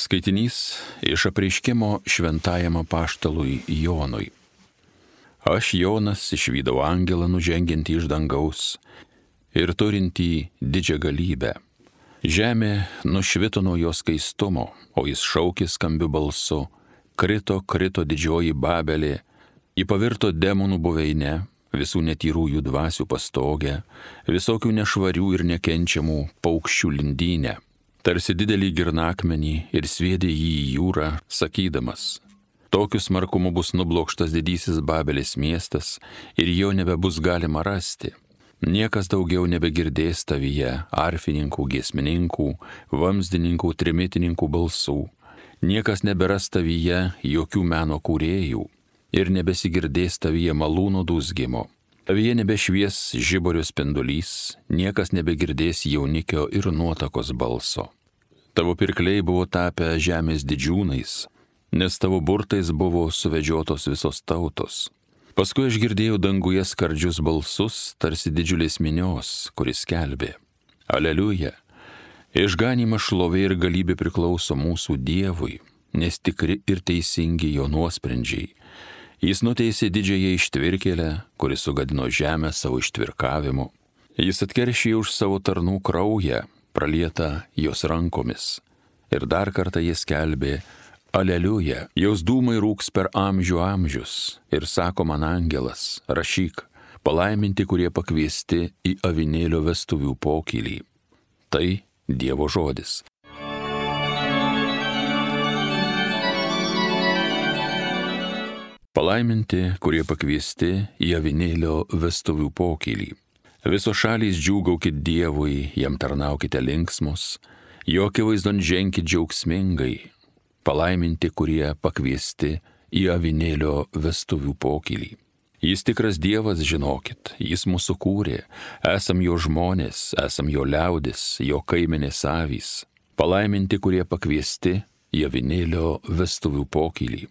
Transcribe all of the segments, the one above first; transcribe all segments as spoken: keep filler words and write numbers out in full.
Skaitinys iš apreiškimo šventajam apaštalui Jonui. Aš, Jonas, išvydau angelą nužengiantį iš dangaus ir turintį didžią galybę. Žemė nušvito nuo jo skaistumo, o jis šaukė skambiu balsu: krito, krito didžioji Babelė, ji pavirto demonų buveinę, visų netyrųjų dvasių pastogę, visokių nešvarių ir nekenčiamų paukščių lindynę. Tarsi didelį girnakmenį ir sviedė jį į jūrą, sakydamas: tokiu smarkumu bus nublokštas didysis Babelės miestas ir jo nebebus galima rasti. Niekas daugiau nebegirdės tavyje arfininkų, giesmininkų, vamzdininkų, trimitininkų balsų. Niekas neberas tavyje jokių meno kūrėjų ir nebesigirdės tavyje malūno dūzgimo. Tavyje nebešvies žiburio spindulys, niekas nebegirdės jaunikio ir nuotakos balso. Tavo pirkliai buvo tapę žemės didžiūnais, nes tavo burtais buvo suvedžiotos visos tautos. Paskui aš girdėjau danguje skardžius balsus, tarsi didžiulės minios, kuris skelbė: Aleliuja! Išganymas, šlovė ir galybė priklauso mūsų Dievui, nes tikri ir teisingi jo nuosprendžiai. Jis nuteisė didžiąją ištvirkėlę, kuris sugadino žemę savo ištvirkavimu. Jis atkeršė už savo tarnų kraują, pralietą jos rankomis. Ir dar kartą jis skelbė: Aleliuja, jos dūmai rūks per amžių amžius. Ir sako man angelas: rašyk, palaiminti, kurie pakviesti į avinėlio vestuvių pokylį. Tai Dievo žodis. Palaiminti, kurie pakviesti į avinėlio vestuvių pokylį. Visos šalys džiūgaukit Dievui, jam tarnaukite linksmus, jo akivaizdon ženkit džiaugsmingai. Palaiminti, kurie pakviesti į avinėlio vestuvių pokylį. Jis tikras Dievas, žinokit, jis mūsų kūrė, esam jo žmonės, esam jo liaudis, jo kaimenės avys. Palaiminti, kurie pakviesti į avinėlio vestuvių pokylį.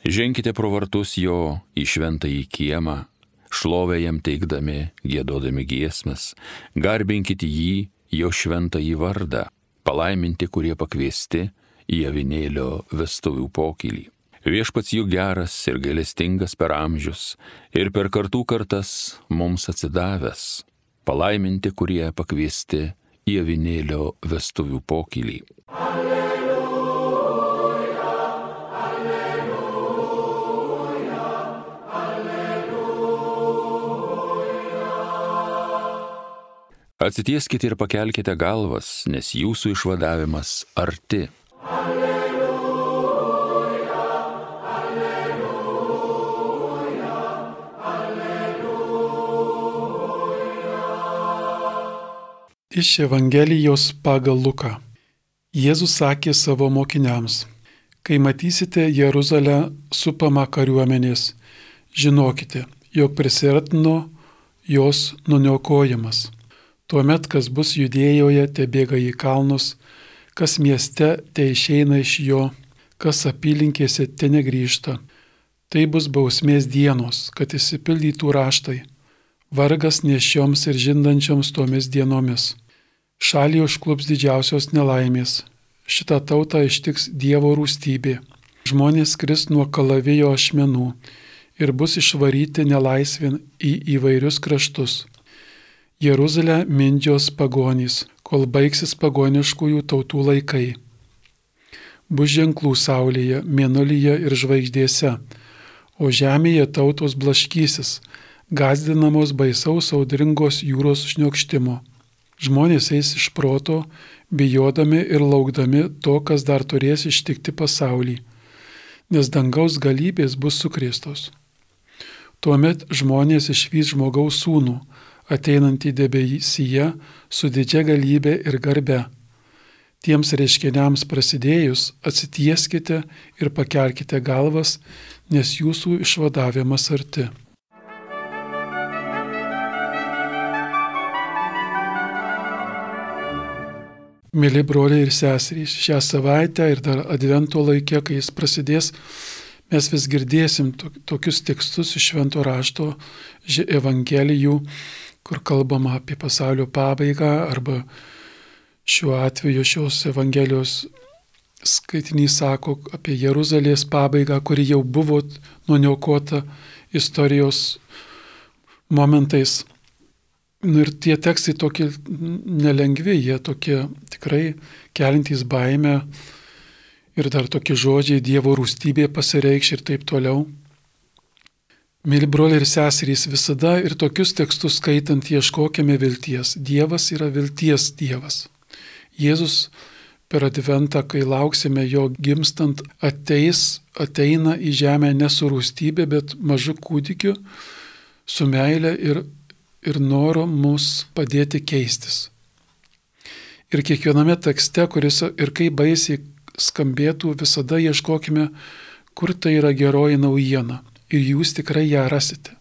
Ženkite pro vartus jo į šventąjį kiemą, šlovę jam teikdami, giedodami giesmes, garbinkite jį, jo šventąjį vardą, palaiminti, kurie pakviesti į avinėlio vestuvių pokylį. Viešpats jų geras ir gailestingas per amžius ir per kartų kartas mums atsidavęs, palaiminti, kurie pakviesti į avinėlio vestuvių pokylį. Atsitieskite ir pakelkite galvas, nes jūsų išvadavimas arti. Alleluja, alleluja, alleluja. Iš Evangelijos pagal Luką. Jėzus sakė savo mokiniams: kai matysite Jeruzalę supamą kariuomenės, žinokite, jog prisiartino jos nuniokojimas. Tuomet, kas bus Judėjoje, te bėga į kalnus, kas mieste, te išeina iš jo, kas apylinkėse, te negrįžta. Tai bus bausmės dienos, kad išsipildytų raštai. Vargas nešioms ir žindančioms tomis dienomis. Šalį užklups didžiausios nelaimės. Šitą tautą ištiks Dievo rūstybė. Žmonės kris nuo kalavijo ašmenų ir bus išvaryti nelaisvin į įvairius kraštus. Jeruzalę mindžios pagonys, kol baigsis pagoniškųjų tautų laikai. Bus ženklų saulėje, mėnulyje ir žvaigždėse, o žemėje tautos blaškysis, gąsdinamos baisaus audringos jūros šniokštimo. Žmonės eis iš proto, bijodami ir laukdami to, kas dar turės ištikti pasaulį, nes dangaus galybės bus sukrėstos. Tuomet žmonės išvys žmogaus sūnų, ateinantį debesyje su didžia galybė ir garbe. Tiems reiškiniams prasidėjus atsitieskite ir pakelkite galvas, nes jūsų išvadavimas arti. Mėly broliai ir seserys, šią savaitę ir dar advento laike, kai jis prasidės, mes vis girdėsim tokius tekstus iš Švento rašto, Evangelijų, kur kalbama apie pasaulio pabaigą arba šiuo atveju šios Evangelijos skaitinys sako apie Jeruzalės pabaigą, kuri jau buvo nuniokota istorijos momentais. Nu ir tie tekstai tokie nelengvi, jie tokie tikrai kelintys baimę ir dar tokie žodžiai Dievo rūstybė pasireikš ir taip toliau. Mėly broliai ir seserys, visada ir tokius tekstus skaitant ieškokime vilties. Dievas yra vilties Dievas. Jėzus per adventą, kai lauksime jo gimstant, ateis, ateina į žemę ne su rūstybė, bet mažu kūdikiu, su meile ir, ir noru mus padėti keistis. Ir kiekviename tekste, kuris ir kaip baisiai skambėtų, visada ieškokime, kur tai yra geroji naujiena. Ir jūs tikrai ją rasite.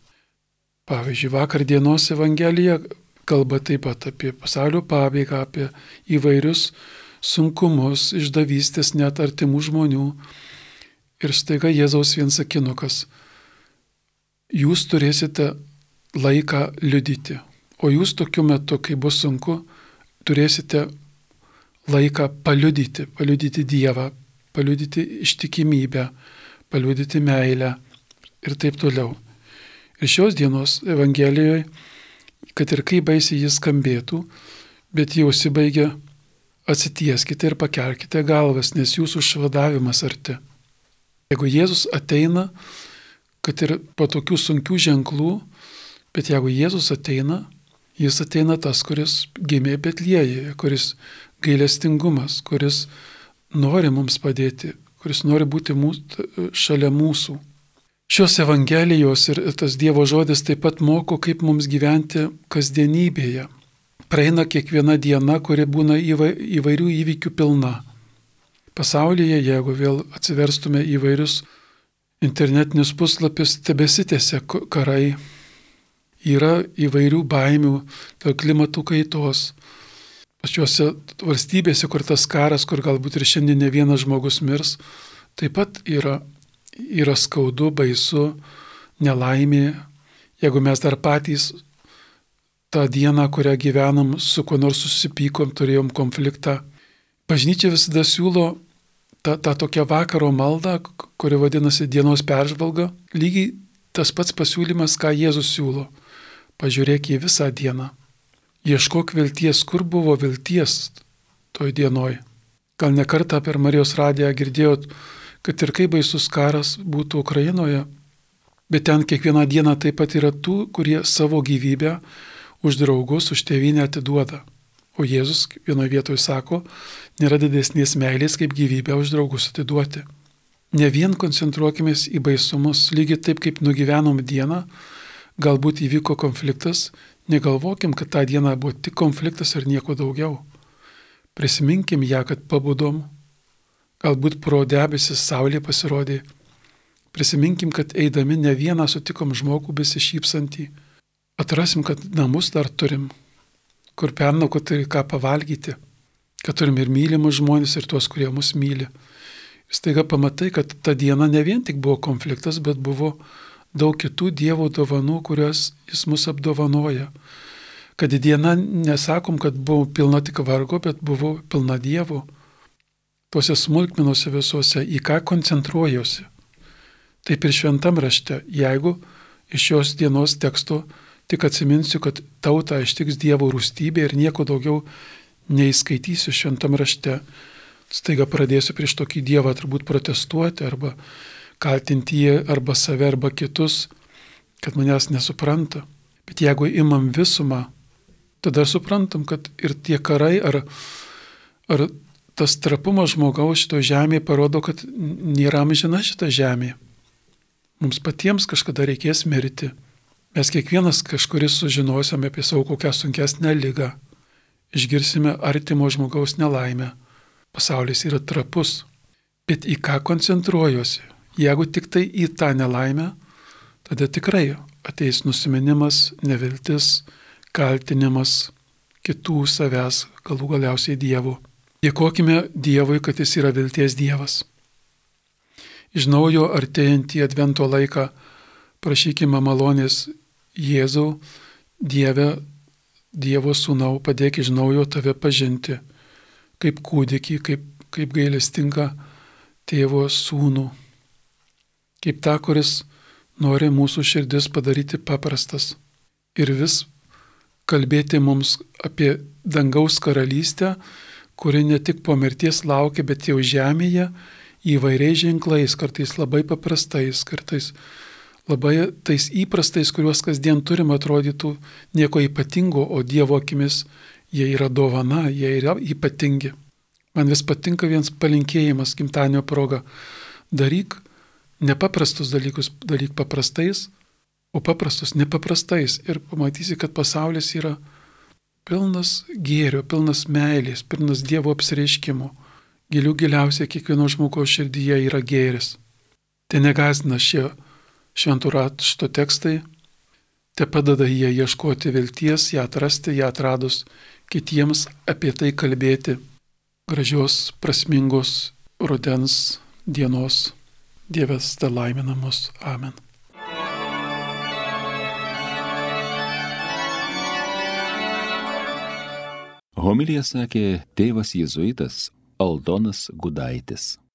Pavyzdžiui, vakar dienos Evangelija kalba taip pat apie pasaulio pabaigą, apie įvairius sunkumus, išdavystės net artimų žmonių. Ir staiga Jėzaus viensakinukas. Jūs turėsite laiką liudyti. O jūs tokiu metu, kai bus sunku, turėsite laiką paliudyti, paliudyti Dievą, paliudyti ištikimybę, paliudyti meilę. Ir taip toliau. Ir šios dienos Evangelijoje, kad ir kaip baisiai jis skambėtų, bet jau užsibaigia, atsitieskite ir pakelkite galvas, nes jūsų išvadavimas arti. Jeigu Jėzus ateina, kad ir po tokių sunkių ženklų, bet jeigu Jėzus ateina, jis ateina tas, kuris gimė Betlėjuje, kuris gailestingumas, kuris nori mums padėti, kuris nori būti mūsų, šalia mūsų. Šios Evangelijos ir tas Dievo žodis taip pat moko, kaip mums gyventi kasdienybėje. Praeina kiekviena diena, kuri būna įvairių įvykių pilna. Pasaulyje, jeigu vėl atsiverstume įvairius internetinius puslapius, tebesitęsia karai. Yra įvairių baimių dėl klimatų kaitos. Pačiuose valstybėse, kur tas karas, kur galbūt ir šiandien ne vienas žmogus mirs, taip pat yra Yra skaudu, baisu, nelaimė. Jeigu mes dar patys tą dieną, kurią gyvenam, su kuo nors susipykom, turėjom konfliktą. Bažnyčia visada siūlo tą, tą tokią vakaro maldą, kuri vadinasi dienos peržvalga. Lygiai tas pats pasiūlymas, ką Jėzus siūlo. Pažiūrėk į visą dieną. Ieškok vilties, kur buvo vilties toj dienoj. Gal ne kartą per Marijos radiją girdėjot, kad ir kaip baisus karas būtų Ukrainoje, bet ten kiekvieną dieną taip pat yra tų, kurie savo gyvybę už draugus, už tėvynę atiduoda. O Jėzus vienoje vietoje sako, nėra didesnės meilės, kaip gyvybę už draugus atiduoti. Ne vien koncentruokimės į baisumus, lygiai taip kaip nugyvenom dieną, galbūt įvyko konfliktas, negalvokim, kad tą dieną buvo tik konfliktas ir nieko daugiau. Prisiminkim ją, kad pabudom. Galbūt pro debesis saulė pasirodė. Prisiminkim, kad eidami ne vieną sutikom žmogų besišypsantį. Atrasim, kad namus dar turim, kur pernaukoti ką pavalgyti, kad turim ir mylimus žmonės, ir tuos, kurie mus myli. Ir staiga pamatai, kad ta diena ne vien tik buvo konfliktas, bet buvo daug kitų Dievo dovanų, kurias jis mus apdovanoja. Kad diena, nesakom, kad buvo pilna tik vargo, bet buvo pilna Dievo. Tuose smulkmenuose visuose, į ką koncentruojuosi. Taip ir šventam rašte, jeigu iš šios dienos teksto tik atsiminsiu, kad tautą ištiks Dievo rūstybė ir nieko daugiau neįskaitysiu šventam rašte, staiga pradėsiu prieš tokį Dievą turbūt protestuoti arba kaltinti jį arba save arba kitus, kad manęs nesupranta. Bet jeigu imam visumą, tada suprantam, kad ir tie karai ar, ar tas trapumas žmogaus šito žemėje parodo, kad nėra amžina šita žemė. Mums patiems kažkada reikės mirti. Mes kiekvienas kažkuris sužinosime apie savo kokią sunkesnę ligą. Išgirsime artimo žmogaus nelaimę. Pasaulis yra trapus. Bet į ką koncentruojuosi? Jeigu tik tai į tą nelaimę, tada tikrai ateis nusiminimas, neviltis, kaltinimas kitų savęs, galų galiausiai Dievo. Dėkokime Dievui, kad jis yra vilties Dievas. Iš naujo artėjantį advento laiką prašykime malonės Jėzau, Dieve, Dievo sūnau, padėk iš naujo tave pažinti, kaip kūdikį, kaip kaip gailestingą tėvo sūnų, kaip tą, kuris nori mūsų širdis padaryti paprastas ir vis kalbėti mums apie dangaus karalystę, kuri ne tik po mirties laukia, bet jau žemėje įvairiais ženklais, kartais labai paprastais, kartais labai tais įprastais, kuriuos kasdien turim, atrodytų nieko ypatingo, o Dievo akimis jie yra dovana, jie yra ypatingi. Man vis patinka vienas palinkėjimas gimtadienio proga. Daryk nepaprastus dalykus, daryk paprastais, o paprastus nepaprastais. Ir pamatysi, kad pasaulis yra pilnas gėrio, pilnas meilės, pilnas Dievo apsireiškimo. Gilių giliausiai kiekvieno žmogaus širdyje yra gėris. Tai negąsdina šie šventų rašto tekstai, te padeda jie ieškoti vilties, ją atrasti, ją atradus, kitiems apie tai kalbėti. Gražios, prasmingos rudens dienos. Dievas te laimina mus. Amen. Homiliją sakė tėvas jėzuitas Aldonas Gudaitis.